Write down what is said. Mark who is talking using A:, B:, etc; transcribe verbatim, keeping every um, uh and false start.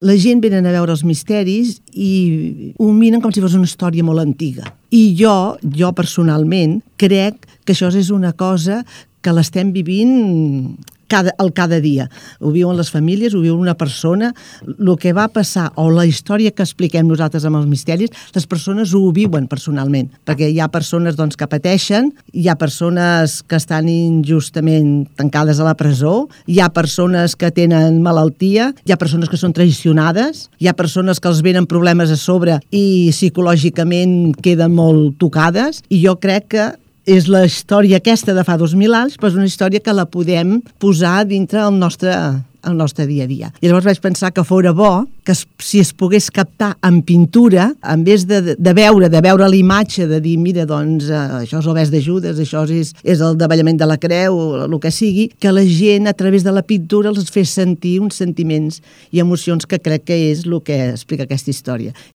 A: La gent venen a veure els misteris i ho miren com si fos una història molt antiga. I jo, jo personalment, crec que això és una cosa que l'estem vivint cada, el cada dia. Ho viuen les famílies, ho viu una persona. El que va passar, o la història que expliquem nosaltres amb els misteris, les persones ho viuen personalment, perquè hi ha persones doncs, que pateixen, hi ha persones que estan injustament tancades a la presó, hi ha persones que tenen malaltia, hi ha persones que són traicionades, hi ha persones que els venen problemes a sobre i psicològicament queden molt tocades, i jo crec que és la història aquesta de fa dos mil anys, però és una història que la podem posar dintre el nostre, el nostre dia a dia. I llavors vaig pensar que fora bo que es, si es pogués captar en pintura, en vez de, de veure de veure la imatge, de dir, mira, doncs, eh, això és l'Obès de Judes, això és, és el davallament de la creu, o el que sigui, que la gent, a través de la pintura, els fes sentir uns sentiments i emocions que crec que és el que explica aquesta història.